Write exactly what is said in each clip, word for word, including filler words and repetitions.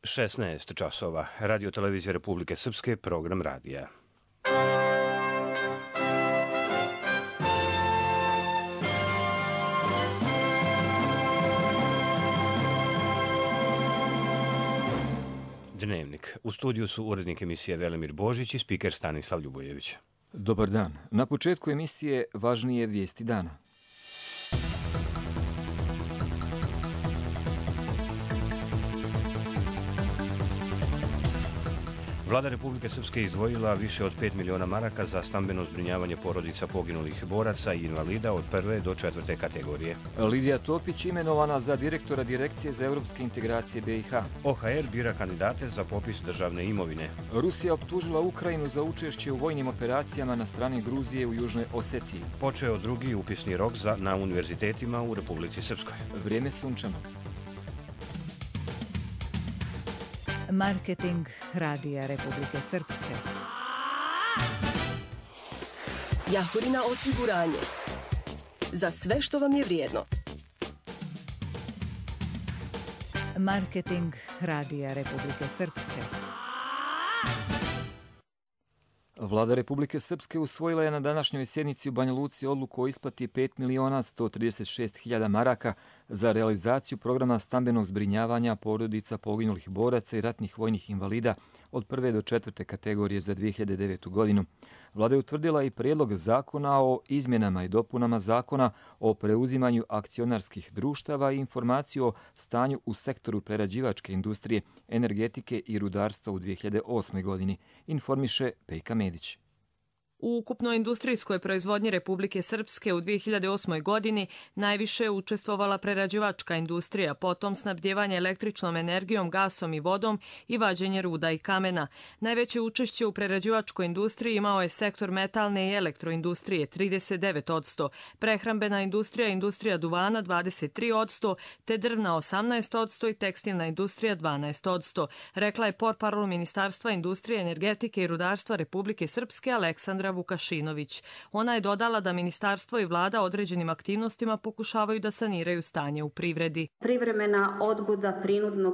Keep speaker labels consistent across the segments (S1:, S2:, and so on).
S1: šesnaest časova. Radio televizija Republike Srpske, program radija. Dnevnik. U studiju su urednik emisije Velimir Božić i spiker Stanislav Ljubojević.
S2: Dobar dan. Na početku emisije važnije vijesti dana.
S1: Vlada Republike Srpske izdvojila više od pet miliona maraka za stambeno zbrinjavanje porodica poginulih boraca i invalida od prve do četvrte kategorije.
S2: Lidija Topić imenovana za direktora Direkcije za europske integracije B i H.
S1: O H R bira kandidate za popis državne imovine.
S2: Rusija optužila Ukrajinu za učešće u vojnim operacijama na strani Gruzije u Južnoj Osetiji.
S1: Počeo drugi upisni rok za, na univerzitetima u Republici Srpskoj.
S2: Vrijeme sunčano.
S3: Marketing Radija Republike Srpske.
S4: Jahorina osiguranje. Za sve što vam je vrijedno.
S3: Marketing Radija Republike Srpske.
S2: Vlada Republike Srpske usvojila je na današnjoj sjednici u Banja Luci odluku o isplati pet miliona sto trideset šest hiljada maraka za realizaciju programa stambenog zbrinjavanja porodica poginulih boraca i ratnih vojnih invalida od prve do četvrte kategorije za dvije hiljade devetu. godinu. Vlada je utvrdila i prijedlog zakona o izmjenama i dopunama zakona o preuzimanju akcionarskih društava i informaciju o stanju u sektoru prerađivačke industrije, energetike i rudarstva u dvije hiljade osmoj. godini, informiše Pejka Medić.
S5: U ukupnoj industrijskoj proizvodnji Republike Srpske u dvije hiljade osmoj. godini najviše je učestvovala prerađivačka industrija, potom snabdjevanje električnom energijom, gasom i vodom i vađenje ruda i kamena. Najveće učešće u prerađivačkoj industriji imao je sektor metalne i elektroindustrije trideset devet posto, prehrambena industrija, industrija duvana dvadeset tri posto, te drvna osamnaest posto i tekstilna industrija dvanaest posto, rekla je portparol Ministarstva industrije, energetike i rudarstva Republike Srpske Aleksandra Vukašinović. Ona je dodala da ministarstvo i vlada određenim aktivnostima pokušavaju da saniraju stanje u privredi.
S6: Privremena odgoda prinudnog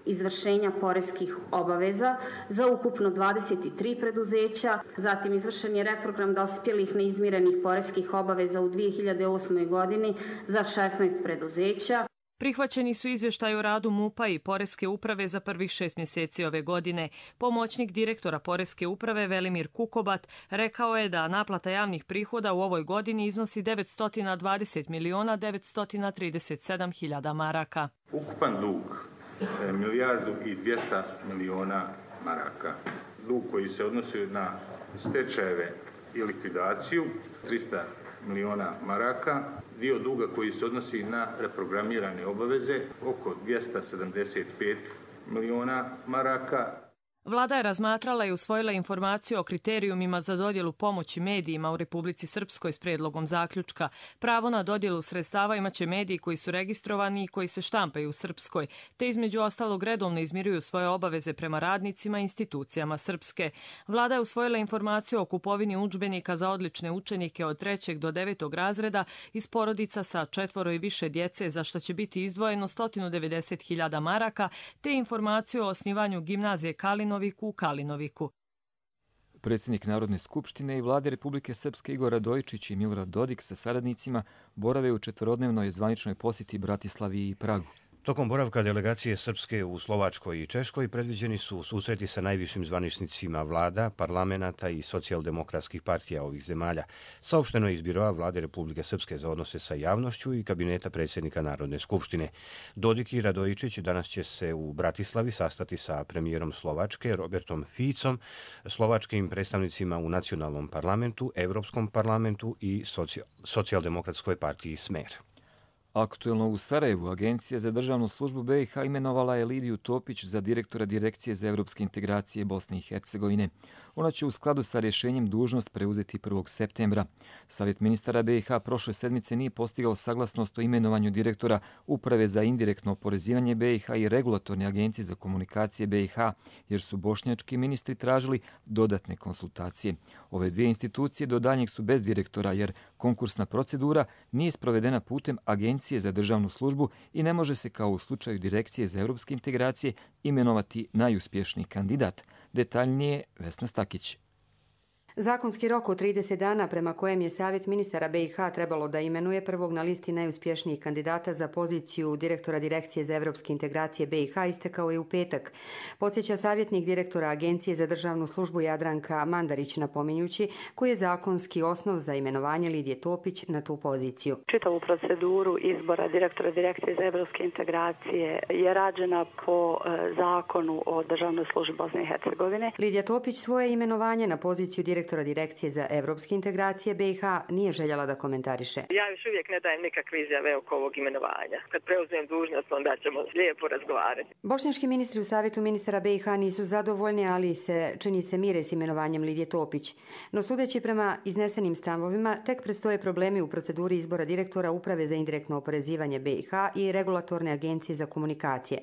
S6: izvršenja poreskih obaveza za ukupno dvadeset tri preduzeća, zatim izvršen je reprogram dospjelih neizmirenih poreskih obaveza u dvije hiljade osmoj. godini za šesnaest preduzeća.
S5: Prihvaćeni su izvještaj o radu MUP-a i Poreske uprave za prvih šest mjeseci ove godine. Pomoćnik direktora Poreske uprave Velimir Kukobat rekao je da naplata javnih prihoda u ovoj godini iznosi devetsto dvadeset miliona devetsto trideset sedam hiljada maraka.
S7: Ukupan dug je milijardu i dvjesto miliona maraka. Dug koji se odnosi na stečajeve i likvidaciju trista miliona maraka. Dio duga koji se odnosi na reprogramirane obaveze oko dvjesto sedamdeset pet miliona maraka.
S5: Vlada je razmatrala i usvojila informaciju o kriterijumima za dodjelu pomoći medijima u Republici Srpskoj s prijedlogom zaključka. Pravo na dodjelu sredstava imaće mediji koji su registrovani i koji se štampaju u Srpskoj, te između ostalog redovno izmiruju svoje obaveze prema radnicima i institucijama Srpske. Vlada je usvojila informaciju o kupovini udžbenika za odlične učenike od trećeg do devetog razreda iz porodica sa četvoro i više djece, za što će biti izdvojeno sto devedeset hiljada maraka, te informaciju o osnivanju gimnazije Kalinoviku u Kalinoviku.
S2: Predsjednik Narodne skupštine i vlade Republike Srpske Igor Radojičić i Milorad Dodik sa saradnicima borave u četvorodnevnoj zvaničnoj posjeti Bratislavi i Pragu.
S1: Tokom boravka delegacije Srpske u Slovačkoj i Češkoj predviđeni su susreti sa najvišim zvaničnicima vlada, parlamenata i socijaldemokratskih partija ovih zemalja. Saopšteno je iz biroa vlade Republike Srpske za odnose sa javnošću i kabineta predsjednika Narodne skupštine. Dodik i Radojičić danas će se u Bratislavi sastati sa premijerom Slovačke Robertom Ficom, slovačkim predstavnicima u nacionalnom parlamentu, Evropskom parlamentu i socijaldemokratskoj partiji Smer.
S2: Aktuelno u Sarajevu Agencija za državnu službu B i H imenovala je Lidiju Topić za direktora Direkcije za europske integracije Bosne i Hercegovine. Ona će u skladu sa rješenjem dužnost preuzeti prvog septembra. Savjet ministara B i H prošle sedmice nije postigao saglasnost o imenovanju direktora Uprave za indirektno oporezivanje B i H i Regulatorne agencije za komunikacije B i H, jer su bošnjački ministri tražili dodatne konsultacije. Ove dvije institucije do daljnjeg su bez direktora, jer konkursna procedura nije sprovedena putem Agencije Agencije za državnu službu i ne može se kao u slučaju Direkcije za evropske integracije imenovati najuspješniji kandidat. Detaljnije Vesna Stakić.
S8: Zakonski rok od trideset dana prema kojem je Savjet ministara B i H trebalo da imenuje prvog na listi najuspješnijih kandidata za poziciju direktora Direkcije za evropske integracije B i H istekao je u petak. Podsjeća savjetnik direktora Agencije za državnu službu Jadranka Mandarić, napominjući koji je zakonski osnov za imenovanje Lidije Topić na tu poziciju.
S9: Čitavu proceduru izbora direktora Direkcije za evropske integracije je rađena po zakonu o državnoj službi Bosne i Hercegovine.
S8: Lidija Topić svoje imenovanje na poziciju direktora Direkcije za evropske integracije B i H nije željela da komentariše.
S10: Ja još uvijek ne dajem nikakve izjave oko ovog imenovanja. Kad preuzmem dužnost, onda ćemo lijepo razgovarati.
S8: Bošnjački ministri u Savjetu ministara B i H nisu zadovoljni, ali se čini se mire s imenovanjem Lidije Topić. No sudeći prema iznesenim stavovima, tek predstoje problemi u proceduri izbora direktora Uprave za indirektno oporezivanje B i H i Regulatorne agencije za komunikacije.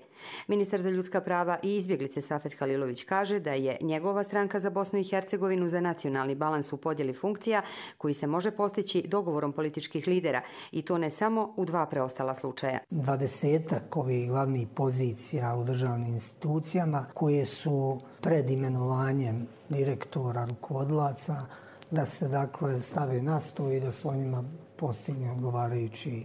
S8: Ministar za ljudska prava i izbjeglice Safet Halilović kaže da je njegova stranka za Bosnu i Hercegovinu za nacionalni balans u podjeli funkcija koji se može postići dogovorom političkih lidera i to ne samo u dva preostala slučaja.
S11: Dvadesetak ovih glavnih pozicija u državnim institucijama koje su pred imenovanjem direktora, rukovodilaca, da se dakle stave na sto i da se o njima postigne odgovarajući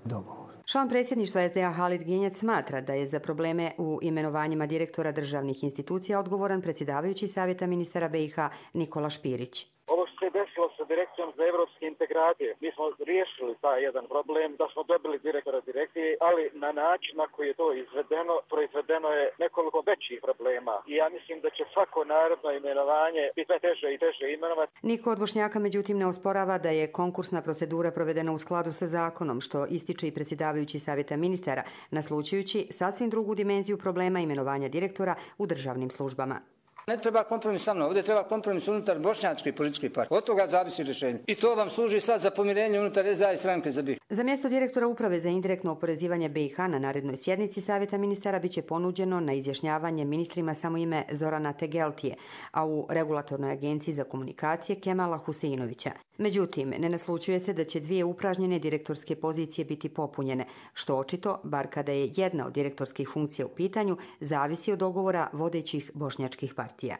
S11: dogovor.
S8: Član predsjedništva S D A Halid Genjac smatra da je za probleme u imenovanjima direktora državnih institucija odgovoran predsjedavajući Savjeta ministara B i H Nikola Špirić.
S12: Ovo što se desilo sa Direkcijom za evropske integracije, mi smo riješili taj jedan problem da smo dobili direktora direkcije, ali na način na koji je to izvedeno, proizvedeno je nekoliko većih problema. I ja mislim da će svako naredno imenovanje biti sve teže i teže imenovati.
S8: Niko od Bošnjaka međutim ne osporava da je konkursna procedura provedena u skladu sa zakonom, što ističe i predsjedavajući Savjeta ministara, naslučujući sasvim drugu dimenziju problema imenovanja direktora u državnim službama.
S13: Ne treba kompromis sa mnom, ovdje treba kompromis unutar bošnjačke političke partije. Od toga zavisi rješenje. I to vam služi sad za pomirenje unutar S D A i stranke za B i H.
S8: Za mjesto direktora Uprave za indirektno oporezivanje B i H na narednoj sjednici Savjeta ministara biće ponuđeno na izjašnjavanje ministrima samo ime Zorana Tegeltije, a u Regulatornoj agenciji za komunikacije Kemala Huseinovića. Međutim, ne naslučuje se da će dvije upražnjene direktorske pozicije biti popunjene, što očito, bar kada je jedna od direktorskih funkcija u pitanju, zavisi od dogovora vodećih bošnjačkih partija.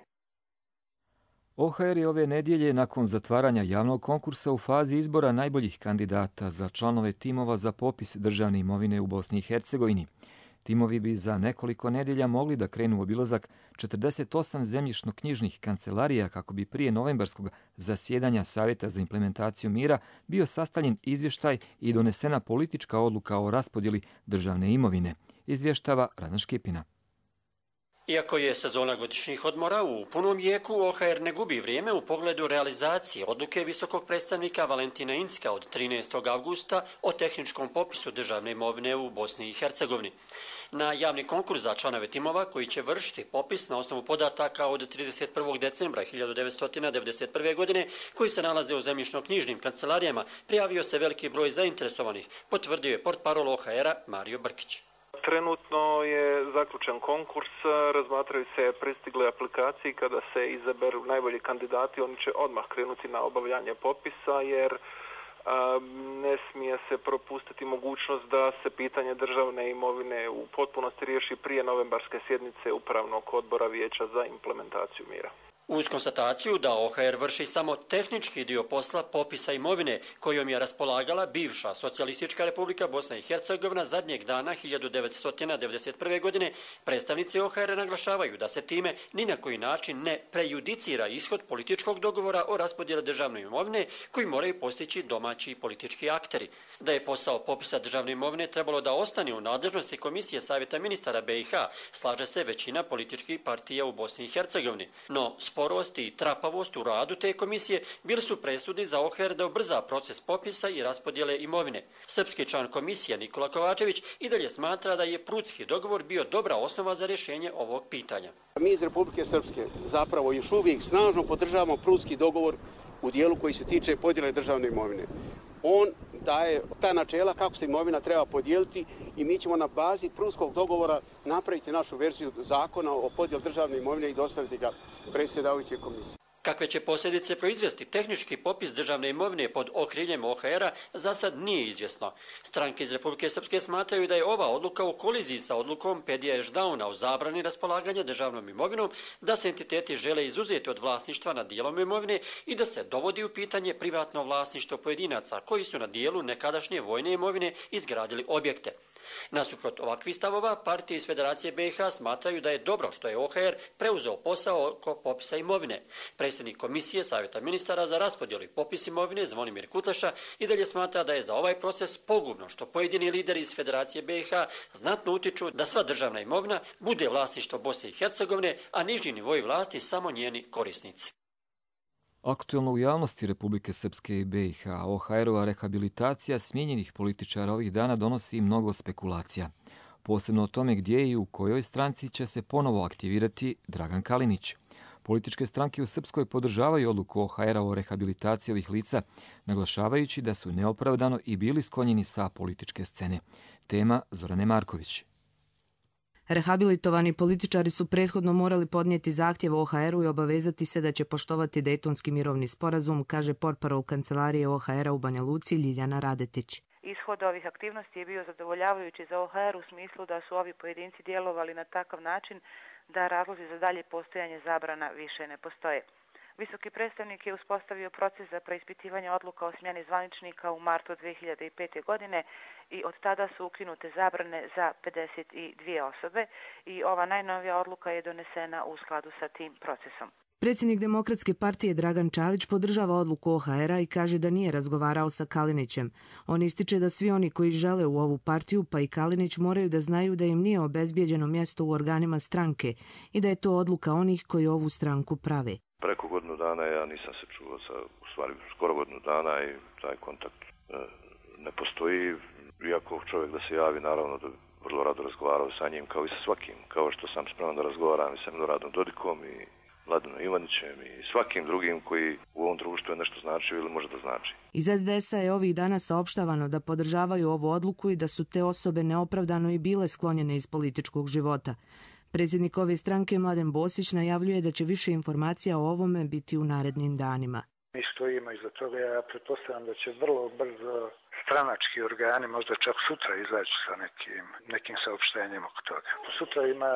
S2: O H R je ove nedjelje nakon zatvaranja javnog konkursa u fazi izbora najboljih kandidata za članove timova za popis državne imovine u Bosni i Hercegovini. Timovi bi za nekoliko nedjelja mogli da krenu u obilazak četrdeset osam zemljišno-knjižnih kancelarija kako bi prije novembarskog zasjedanja Savjeta za implementaciju mira bio sastavljen izvještaj i donesena politička odluka o raspodjeli državne imovine, izvještava Rana Škipina.
S14: Iako je sezona godišnjih odmora u punom jeku, O H R ne gubi vrijeme u pogledu realizacije odluke visokog predstavnika Valentina Incka od trinaestog avgusta o tehničkom popisu državne imovine u Bosni i Hercegovini. Na javni konkurs za članove timova koji će vršiti popis na osnovu podataka od trideset prvog decembra hiljadu devetsto devedeset prve. godine koji se nalaze u zemljišno-knjižnim kancelarijama prijavio se veliki broj zainteresovanih, potvrdio je portparol O H R-a Mario Brkić.
S15: Trenutno je zaključen konkurs, razmatraju se pristigle aplikacije. Kada se izaberu najbolji kandidati, oni će odmah krenuti na obavljanje popisa, jer a, ne smije se propustiti mogućnost da se pitanje državne imovine u potpunosti riješi prije novembarske sjednice Upravnog odbora Vijeća za implementaciju mira.
S14: Uz konstataciju da O H R vrši samo tehnički dio posla popisa imovine kojom je raspolagala bivša Socijalistička republika Bosna i Hercegovina zadnjeg dana hiljadu devetsto devedeset prve. godine, predstavnici O H R naglašavaju da se time ni na koji način ne prejudicira ishod političkog dogovora o raspodjeli državne imovine koji moraju postići domaći politički akteri. Da je posao popisa državne imovine trebalo da ostane u nadležnosti Komisije Savjeta ministara B i H, slaže se većina političkih partija u Bosni i Hercegovini. No, sporost i trapavost u radu te komisije bili su presudni za O H R da ubrza proces popisa i raspodjele imovine. Srpski član komisije Nikola Kovačević i dalje smatra da je prudski dogovor bio dobra osnova za rješenje ovog pitanja.
S16: Mi iz Republike Srpske zapravo još uvijek snažno podržavamo prudski dogovor u dijelu koji se tiče podjele državne imovine. On daje ta načela kako se imovina treba podijeliti i mi ćemo na bazi prudskog dogovora napraviti našu verziju zakona o podjeli državne imovine i dostaviti ga predsjedavajućoj komisiji.
S14: Kakve će posljedice proizvesti tehnički popis državne imovine pod okriljem O H R-a za sad nije izvjesno. Stranke iz Republike Srpske smatraju da je ova odluka u koliziji sa odlukom Pedija Ešdauna o zabrani raspolaganja državnom imovinom, da se entiteti žele izuzeti od vlasništva nad dijelom imovine i da se dovodi u pitanje privatno vlasništvo pojedinaca koji su na dijelu nekadašnje vojne imovine izgradili objekte. Nasuprot ovakvih stavova, partije iz Federacije B i H smatraju da je dobro što je O H R preuzeo posao oko popisa imovine. Predsjednik Komisije Savjeta ministara za raspodjelu i popis imovine Zvonimir Kutleša i dalje smatra da je za ovaj proces pogubno što pojedini lideri iz Federacije B i H znatno utiču da sva državna imovina bude vlasništvo Bosne i Hercegovine, a niži nivoji vlasti samo njeni korisnici.
S2: Aktualno u javnosti Republike Srpske i B i H O H R-ova rehabilitacija smijenjenih političara ovih dana donosi mnogo spekulacija. Posebno o tome gdje i u kojoj stranci će se ponovo aktivirati Dragan Kalinić. Političke stranke u Srpskoj podržavaju odluku O H R-a o rehabilitaciji ovih lica, naglašavajući da su neopravdano i bili sklonjeni sa političke scene. Tema Zorane Marković.
S17: Rehabilitovani političari su prethodno morali podnijeti zahtjev O H R-u i obavezati se da će poštovati Dejtonski mirovni sporazum, kaže portparol kancelarije O H R-a u Banja Luci Ljiljana Radetić.
S18: Ishod ovih aktivnosti je bio zadovoljavajući za O H R u smislu da su ovi pojedinci djelovali na takav način da razlozi za dalje postojanje zabrana više ne postoje. Visoki predstavnik je uspostavio proces za preispitivanje odluka o smjeni zvaničnika u martu dve hiljade pete. godine i od tada su ukinute zabrane za pedeset dvije osobe i ova najnovija odluka je donesena u skladu sa tim procesom.
S17: Predsjednik Demokratske partije Dragan Čavić podržava odluku O H R-a i kaže da nije razgovarao sa Kalinićem. On ističe da svi oni koji žele u ovu partiju, pa i Kalinić, moraju da znaju da im nije obezbijeđeno mjesto u organima stranke i da je to odluka onih koji ovu stranku prave.
S19: Preko godinu dana ja nisam se čuo sa, u stvari skoro godinu dana i taj kontakt e, ne postoji. Iako čovjek da se javi, naravno da vrlo rado razgovarao sa njim kao i sa svakim, kao što sam spreman da razgovaram i sa Miloradom Dodikom i Mladenom Ivanićem i svakim drugim koji u ovom društvu je nešto značio ili može da znači.
S17: Iz S D S-a je ovih dana saopštavano da podržavaju ovu odluku i da su te osobe neopravdano i bile sklonjene iz političkog života. Predsjednik ove stranke Mladen Bosić najavljuje da će više informacija o ovome biti u narednim danima.
S20: Mi stojimo iza toga, ja pretpostavljam da će vrlo brzo stranački organi, možda čak sutra izaći sa nekim, nekim saopštenjem oko toga. Sutra ima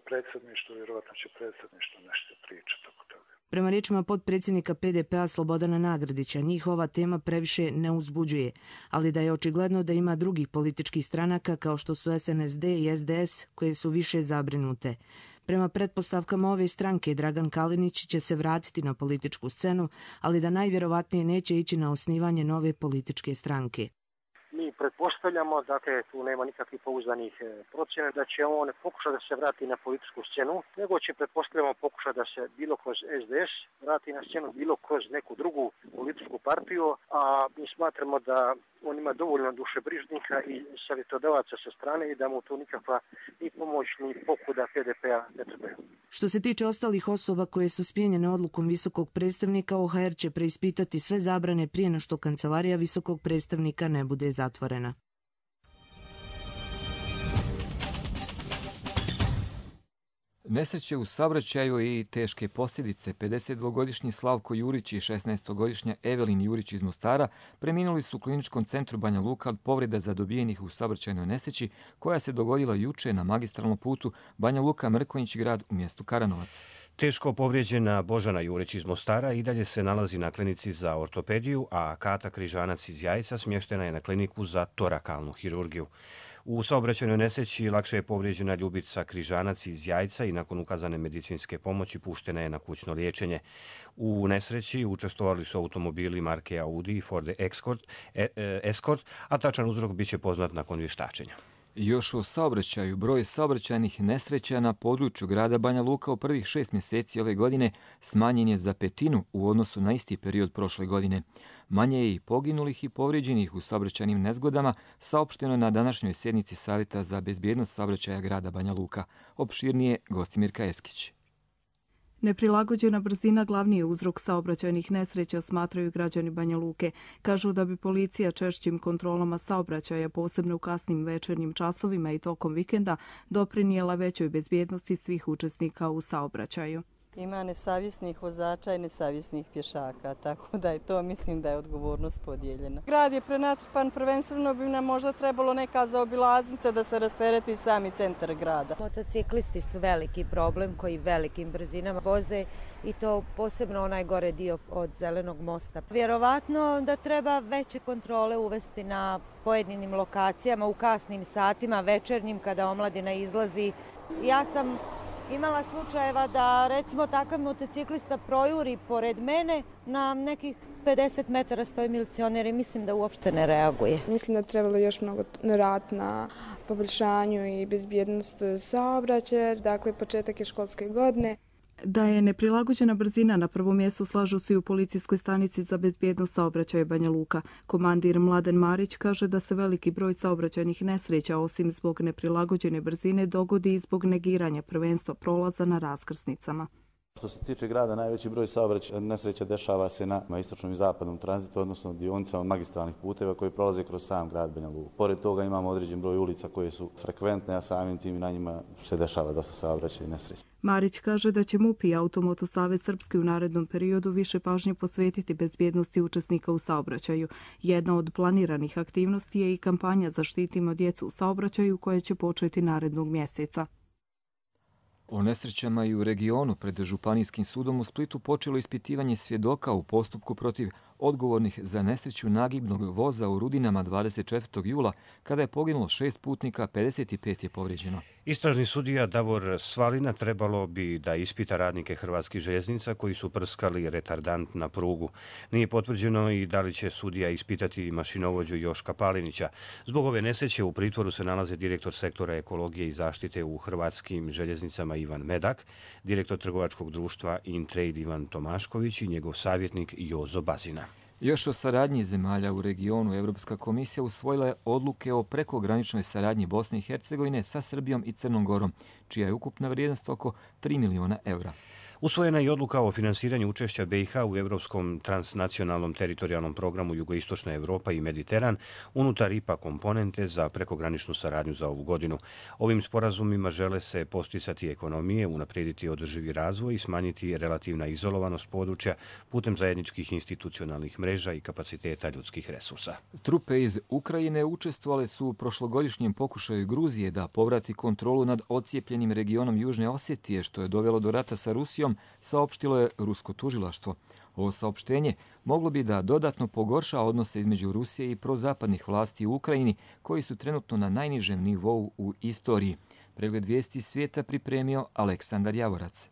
S20: predsjedništvo, vjerovatno će predsjedništvo nešto pričati oko toga.
S17: Prema riječima potpredsjednika P D P-a Slobodana Nagrdića, njih ova tema previše ne uzbuđuje, ali da je očigledno da ima drugih političkih stranaka kao što su S N S D i S D S koje su više zabrinute. Prema pretpostavkama ove stranke, Dragan Kalinić će se vratiti na političku scenu, ali da najvjerovatnije neće ići na osnivanje nove političke stranke.
S21: Mi pretpostavljamo, dakle, tu nema nikakvih pouzdanih procjena, da će on pokušati da se vrati na političku scenu, nego će pretpostavljamo pokušati da se bilo kroz S D S vrati na scenu, bilo kroz neku drugu političku partiju, a mi smatramo da on ima dovoljno dušebrižnika i savjetodavaca sa strane i da mu tu nikakva ni pomoć ni pokuda P D P-a ne trebaju.
S17: Što se tiče ostalih osoba koje su smijenjene odlukom visokog predstavnika, O H R će preispitati sve zabrane prije no što kancelarija visokog predstavnika ne bude zatvorena.
S2: Nesreće u saobraćaju i teške posljedice. pedesetdvogodišnji Slavko Jurić i šesnaestogodišnja Evelin Jurić iz Mostara preminuli su u kliničkom centru Banja Luka od povreda zadobijenih u saobraćajnoj nesreći koja se dogodila juče na magistralnom putu Banja Luka-Mrkonjić grad u mjestu Karanovac.
S1: Teško povrijeđena Božana Jurić iz Mostara i dalje se nalazi na klinici za ortopediju, a Kata Križanac iz Jajca smještena je na kliniku za torakalnu hirurgiju. U saobraćajnoj nesreći lakše je povrijeđena Ljubica Križanac iz Jajca i nakon ukazane medicinske pomoći puštena je na kućno liječenje. U nesreći učestvovali su automobili marke Audi i Ford Escort, e, e, Escort, a tačan uzrok biće poznat nakon vještačenja.
S2: Još o saobraćaju. Broj saobraćajnih nesreća na području grada Banja Luka u prvih šest mjeseci ove godine smanjen je za petinu u odnosu na isti period prošle godine. Manje je i poginulih i povrijeđenih u saobraćajnim nezgodama, saopšteno na današnjoj sjednici Savjeta za bezbjednost saobraćaja grada Banja Luka. Opširnije Gostimirka Eskić.
S22: Neprilagođena brzina glavni je uzrok saobraćajnih nesreća, smatraju građani Banja Luke. Kažu da bi policija češćim kontrolama saobraćaja, posebno u kasnim večernjim časovima i tokom vikenda, doprinijela većoj bezbjednosti svih učesnika u saobraćaju.
S3: Ima nesavjesnih vozača i nesavjesnih pješaka, tako da je to, mislim da je odgovornost podijeljena. Grad je prenatrpan, prvenstveno bi nam možda trebalo neka zaobilaznica da se rastereti sami centar grada.
S4: Motociklisti su veliki problem koji velikim brzinama voze i to posebno onaj gore dio od Zelenog mosta. Vjerovatno da treba veće kontrole uvesti na pojedinim lokacijama u kasnim satima, večernjim kada omladina izlazi. Ja sam imala slučajeva da recimo takav motociklista projuri pored mene, na nekih pedeset metara stoji milicioner i mislim da uopšte ne reaguje.
S23: Mislim da trebalo još mnogo raditi na poboljšanju i bezbjednost saobraćaja, dakle početak je školske godine.
S22: Da je neprilagođena brzina na prvom mjestu slažu se i u policijskoj stanici za bezbjednost saobraćaja Banja Luka. Komandir Mladen Marić kaže da se veliki broj saobraćajnih nesreća osim zbog neprilagođene brzine dogodi i zbog negiranja prvenstva prolaza na raskrsnicama.
S24: Što se tiče grada, najveći broj saobraćajnih nesreća dešava se na istočnom i zapadnom tranzitu, odnosno dionicama magistralnih puteva koji prolaze kroz sam grad Banja Luku. Pored toga imamo određen broj ulica koje su frekventne, a samim tim i na njima se dešava dosta saobraćajnih nesreća.
S22: Marić kaže da će M U P i Automoto Savez Srpski u narednom periodu više pažnje posvetiti bezbjednosti učesnika u saobraćaju. Jedna od planiranih aktivnosti je i kampanja Zaštitimo djecu u saobraćaju koja će početi narednog mjeseca.
S2: O nesrećama i u regionu pred Županijskim sudom u Splitu počelo ispitivanje svjedoka u postupku protiv odgovornih za nesreću nagibnog voza u Rudinama dvadeset četvrtog jula, kada je poginulo šest putnika, pedeset pet je povrijeđeno.
S1: Istražni sudija Davor Svalina trebalo bi da ispita radnike Hrvatskih željeznica koji su prskali retardant na prugu. Nije potvrđeno i da li će sudija ispitati mašinovođu Joška Palinića. Zbog ove nesreće u pritvoru se nalaze direktor sektora ekologije i zaštite u Hrvatskim željeznicama Ivan Medak, direktor trgovačkog društva Intrade Ivan Tomašković i njegov savjetnik Jozo Bazina.
S2: Još o saradnji zemalja u regionu Evropska komisija usvojila je odluke o prekograničnoj saradnji Bosne i Hercegovine sa Srbijom i Crnom Gorom, čija je ukupna vrijednost oko tri miliona eura.
S1: Usvojena je odluka o finansiranju učešća B i H u Evropskom transnacionalnom teritorijalnom programu Jugoistočna Evropa i Mediteran unutar I P A komponente za prekograničnu saradnju za ovu godinu. Ovim sporazumima žele se posticati ekonomije, unaprijediti održivi razvoj i smanjiti relativna izolovanost područja putem zajedničkih institucionalnih mreža i kapaciteta ljudskih resursa.
S2: Trupe iz Ukrajine učestvovale su u prošlogodišnjem pokušaju Gruzije da povrati kontrolu nad ocijepljenim regionom Južne Osjetije, što je dovelo do rata sa Rusijom, saopštilo je rusko tužilaštvo. Ovo saopštenje moglo bi da dodatno pogorša odnose između Rusije i prozapadnih vlasti u Ukrajini, koji su trenutno na najnižem nivou u istoriji. Pregled vijesti svijeta pripremio Aleksandar Javorac.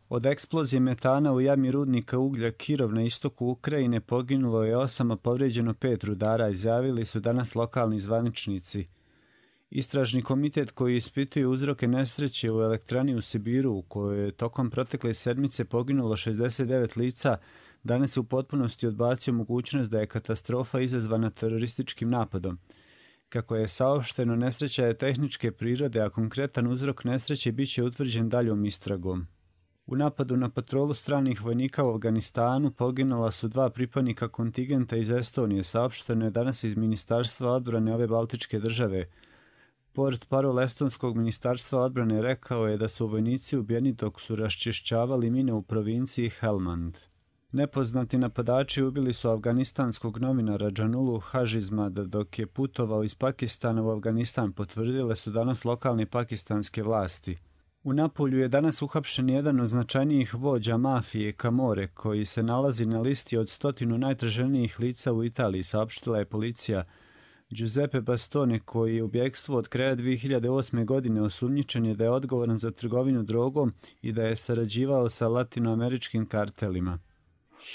S25: Od eksplozije metana u jami rudnika uglja Kirov na istoku Ukrajine poginulo je osam, a povrijeđeno pet rudara, izjavili su danas lokalni zvaničnici. Istražni komitet koji ispituje uzroke nesreće u elektrani u Sibiru, u kojoj je tokom protekle sedmice poginulo šezdeset devet lica, danas je u potpunosti odbacio mogućnost da je katastrofa izazvana terorističkim napadom. Kako je saopšteno, nesreća je tehničke prirode, a konkretan uzrok nesreće bit će utvrđen daljom istragom. U napadu na patrolu stranih vojnika u Afganistanu poginula su dva pripadnika kontingenta iz Estonije, saopšteno je danas iz Ministarstva odbrane ove baltičke države. Portparol estonskog ministarstva odbrane rekao je da su vojnici ubijeni dok su raščišćavali mine u provinciji Helmand. Nepoznati napadači ubili su afganistanskog novinara Džanulu Hažizmada dok je putovao iz Pakistana u Afganistan, potvrdile su danas lokalne pakistanske vlasti. U Napulju je danas uhapšen jedan od značajnijih vođa mafije Camorre, koji se nalazi na listi od stotinu najtraženijih lica u Italiji, saopštila je policija. Giuseppe Bastone, koji je u bjegstvu od kraja dvije hiljade osme. godine, osumnjičen je da je odgovoran za trgovinu drogom i da je sarađivao sa latinoameričkim kartelima.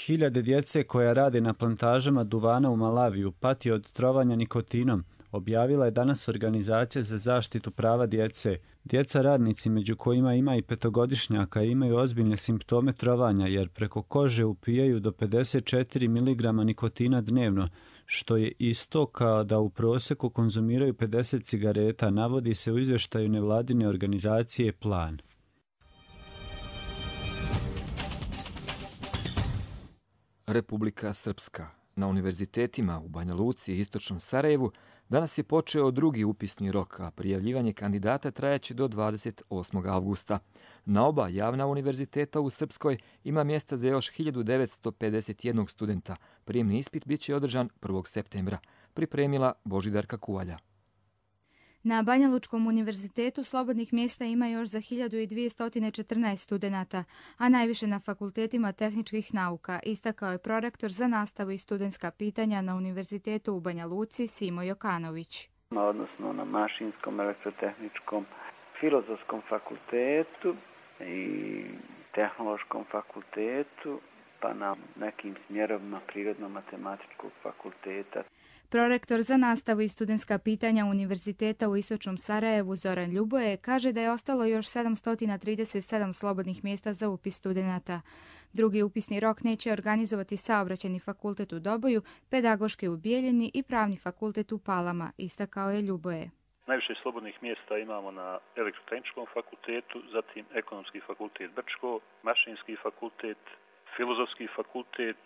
S25: Hiljade djece koja rade na plantažama duvana u Malaviju pati od trovanja nikotinom, objavila je danas Organizacija za zaštitu prava djece. Djeca radnici, među kojima ima i petogodišnjaka, imaju ozbiljne simptome trovanja jer preko kože upijaju do pedeset četiri miligrama nikotina dnevno, što je isto kao da u prosjeku konzumiraju pedeset cigareta, navodi se u izvještaju nevladine organizacije Plan.
S2: Republika Srpska. Na univerzitetima u Banja Luci i istočnom Sarajevu danas je počeo drugi upisni rok, a prijavljivanje kandidata trajaće do dvadeset osmog avgusta. Na oba javna univerziteta u Srpskoj ima mjesta za još hiljadu devetsto pedeset jedan studenta. Prijemni ispit bit će održan prvog septembra. Pripremila Božidarka Kuvalja.
S5: Na Banja Lučkom univerzitetu slobodnih mjesta ima još za hiljadu dvjesto četrnaest studenata, a najviše na fakultetima tehničkih nauka, istakao je prorektor za nastavu i studentska pitanja na Univerzitetu u Banja Luci Simo Jokanović.
S6: Odnosno na mašinskom, elektrotehničkom, filozofskom fakultetu i tehnološkom fakultetu, pa na nekim smjerovima prirodno-matematičkog fakulteta.
S5: Prorektor za nastavu i studentska pitanja Univerziteta u istočnom Sarajevu Zoran Ljuboje kaže da je ostalo još sedamsto trideset sedam slobodnih mjesta za upis studenata. Drugi upisni rok neće organizovati Saobraćajni fakultet u Doboju, Pedagoški u Bijeljini i Pravni fakultet u Palama, istakao je Ljuboje.
S7: Najviše slobodnih mjesta imamo na Elektrotehničkom fakultetu, zatim Ekonomski fakultet Brčko, Mašinski fakultet, Filozofski fakultet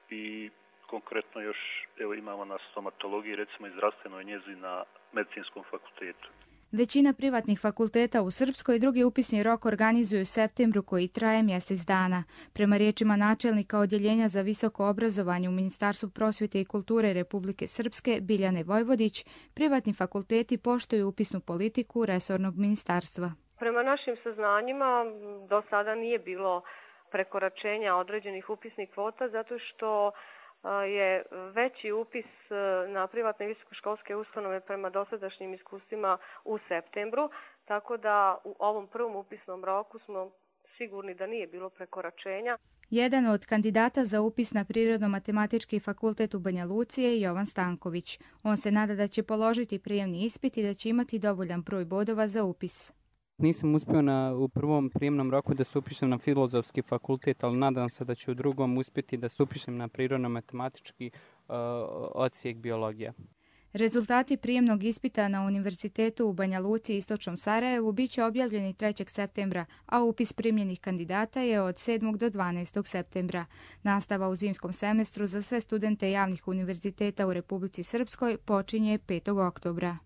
S7: i konkretno još evo imamo na stomatologiji, recimo i zdravstvenoj njezi na Medicinskom fakultetu.
S5: Većina privatnih fakulteta u Srpskoj drugi upisni rok organizuju u septembru koji traje mjesec dana. Prema riječima načelnika Odjeljenja za visoko obrazovanje u Ministarstvu prosvjete i kulture Republike Srpske Biljane Vojvodić, privatni fakulteti poštuju upisnu politiku resornog ministarstva.
S9: Prema našim saznanjima do sada nije bilo prekoračenja određenih upisnih kvota zato što je veći upis na privatne visokoškolske ustanove prema dosadašnjim iskustvima u septembru, tako da u ovom prvom upisnom roku smo sigurni da nije bilo prekoračenja.
S5: Jedan od kandidata za upis na Prirodno-matematički fakultet u Banja Luci je Jovan Stanković. On se nada da će položiti prijemni ispit i da će imati dovoljan broj bodova za upis.
S10: Nisam uspio na, u prvom prijemnom roku da se upišem na filozofski fakultet, ali nadam se da ću u drugom uspjeti da se upišem na prirodno-matematički uh, odsjek biologija.
S5: Rezultati prijemnog ispita na Univerzitetu u Banja Luci i istočnom Sarajevu bit će objavljeni trećeg septembra, a upis primljenih kandidata je od sedmog do dvanaestog septembra. Nastava u zimskom semestru za sve studente javnih univerziteta u Republici Srpskoj počinje petog oktobra.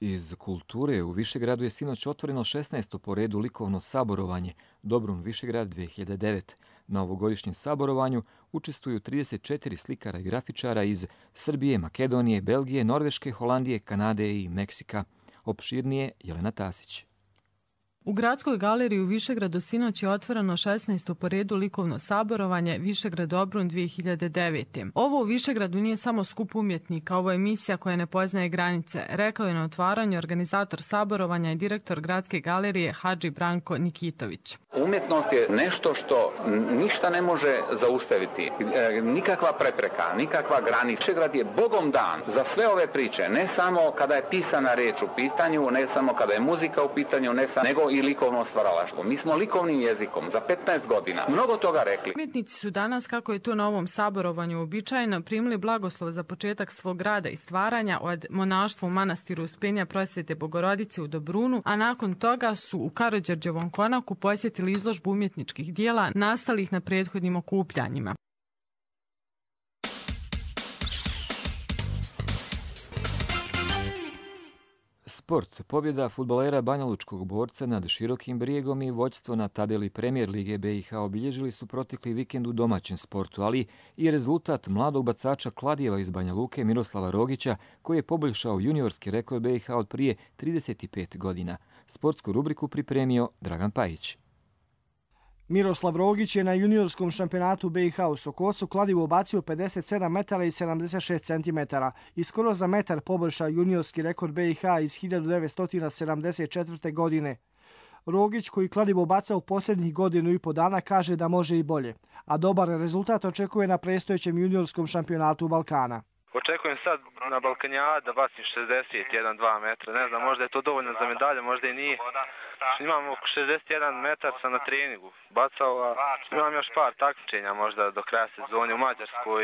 S2: Iz kulture u Višegradu je sinoć otvoreno šesnaesto po redu likovno saborovanje Dobrun Višegrad dvije hiljade devet. Na ovogodišnjem saborovanju učestvuju trideset četiri slikara i grafičara iz Srbije, Makedonije, Belgije, Norveške, Holandije, Kanade i Meksika. Opširnije Jelena Tasić.
S26: U Gradskoj galeriji u Višegradu sinoć je otvoreno šesnaesto po redu likovno saborovanje Višegrad Dobrun dvije hiljade devet. Ovo u Višegradu nije samo skup umjetnika, ovo je emisija koja ne poznaje granice, rekao je na otvaranju organizator saborovanja i direktor Gradske galerije Hadži Branko Nikitović.
S27: Umjetnost je nešto što ništa ne može zaustaviti, nikakva prepreka, nikakva granica. Višegrad je Bogom dan za sve ove priče, ne samo kada je pisana riječ u pitanju, ne samo kada je muzika u pitanju, ne samo, nego i likovno stvaralaštvo. Mi smo likovnim jezikom za petnaest godina mnogo toga rekli.
S26: Umjetnici su danas, kako je to na ovom saborovanju uobičajeno, primili blagoslov za početak svog rada i stvaranja od monaštva u manastiru Uspenja Prosvete Bogorodice u Dobrunu, a nakon toga su u Karađorđevom konaku posjetili izložbu umjetničkih dijela nastalih na prethodnim okupljanjima.
S2: Sport. Pobjeda fudbalera banjalučkog Borca nad Širokim Brijegom i vođstvo na tabeli Premijer Lige B i H obilježili su protekli vikend u domaćem sportu, ali i rezultat mladog bacača Kladijeva iz Banja Luke Miroslava Rogića, koji je poboljšao juniorski rekord B i H od prije trideset pet godina. Sportsku rubriku pripremio Dragan Pajić.
S28: Miroslav Rogić je na juniorskom šampionatu B i H u Sokocu kladivo bacio pedeset sedam metara i sedamdeset šest centimetara i skoro za metar poboljšao juniorski rekord B i H iz hiljadu devetsto sedamdeset četvrte. godine. Rogić, koji kladivo baca u posljednjih godinu i po dana, kaže da može i bolje, a dobar rezultat očekuje na predstojećem juniorskom šampionatu Balkana.
S29: Očekujem sad na Balkanjadu da bacim šezdeset jedan dva metra. Ne znam, možda je to dovoljno za medalje, možda i nije. Imam oko šezdeset jedan metar sam na treningu bacao, a imam još par takmičenja možda do kraja sezone u Mađarskoj,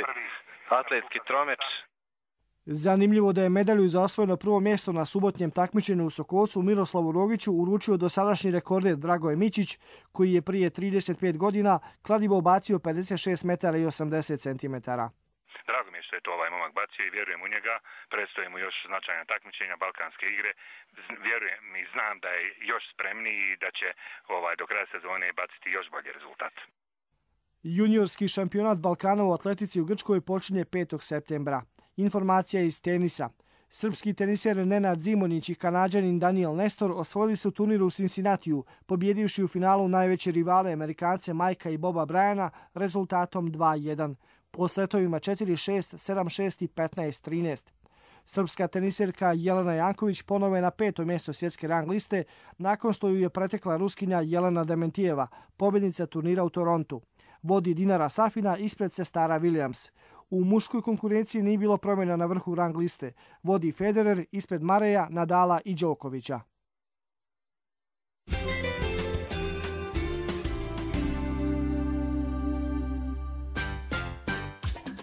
S29: atletski tromeč.
S28: Zanimljivo da je medalju za osvojeno prvo mjesto na subotnjem takmičenju u Sokolcu Miroslavu Rogiću uručio dosadašnji rekorder Dragoje Mićić, koji je prije trideset pet godina kladivo bacio pedeset šest metara i osamdeset centimetara.
S8: Drago mi je što je to ovaj momak bacio i vjerujem u njega. Predstoje mu još značajna takmičenja, balkanske igre. Vjerujem i znam da je još spremniji i da će ovaj, do kraja sezone baciti još bolji rezultat.
S28: Juniorski šampionat Balkana u atletici u Grčkoj počinje petog septembra. Informacija iz tenisa. Srpski teniser Nenad Zimonić i Kanađanin Daniel Nestor osvojili su turnir u Cincinnatiju, pobjedivši u finalu najveće rivale Amerikance Majka i Boba Bryana rezultatom dva jedan. Po setovima četiri šest, sedam šest i petnaest trinaest. Srpska teniserka Jelena Janković ponovo je na peto mjesto svjetske rang liste nakon što ju je pretekla Ruskinja Jelena Dementijeva, pobjednica turnira u Torontu. Vodi Dinara Safina ispred sestara Williams. U muškoj konkurenciji nije bilo promjena na vrhu rang liste. Vodi Federer ispred Mareja, Nadala i Đokovića.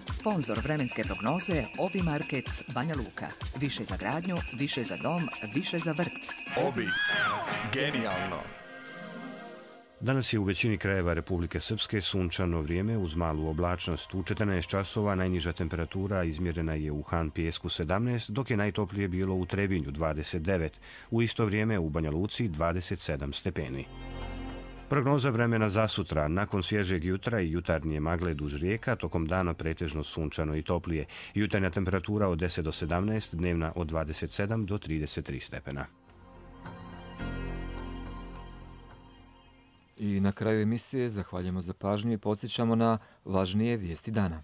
S11: Sponzor vremenske prognoze Obi Market Banja Luka. Više za gradnju, više za dom, više za vrt.
S12: Obi. Genijalno.
S1: Danas je u većini krajeva Republike Srpske sunčano vrijeme uz malu oblačnost. U četrnaest časova najniža temperatura izmjerena je u Han Pijesku sedamnaest, dok je najtoplije bilo u Trebinju dvadeset devet. U isto vrijeme u Banja Luci dvadeset sedam stepeni. Prognoza vremena za sutra. Nakon svježeg jutra i jutarnje magle duž rijeka, tokom dana pretežno sunčano i toplije. Jutarnja temperatura od deset do sedamnaest, dnevna od dvadeset sedam do trideset tri stepena.
S2: I na kraju emisije zahvaljujemo za pažnju i podsjećamo na važnije vijesti dana.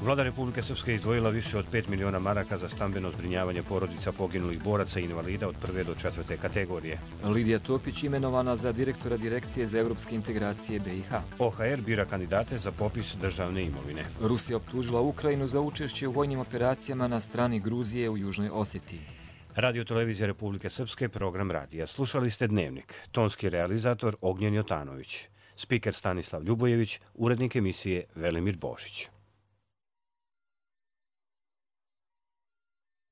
S1: Vlada Republike Srpske izdvojila više od pet miliona maraka za stambeno zbrinjavanje porodica poginulih boraca i invalida od prve do četvrte kategorije.
S2: Lidija Topić imenovana za direktora Direkcije za evropske integracije B i H.
S1: O H R bira kandidate za popis državne imovine.
S2: Rusija optužila Ukrajinu za učešće u vojnim operacijama na strani Gruzije u Južnoj Osjetiji.
S1: Radio Televizija Republike Srpske, program radija. Slušali ste Dnevnik. Tonski realizator Ognjen Jotanović. Spiker Stanislav Ljubojević, urednik emisije Velimir Božić.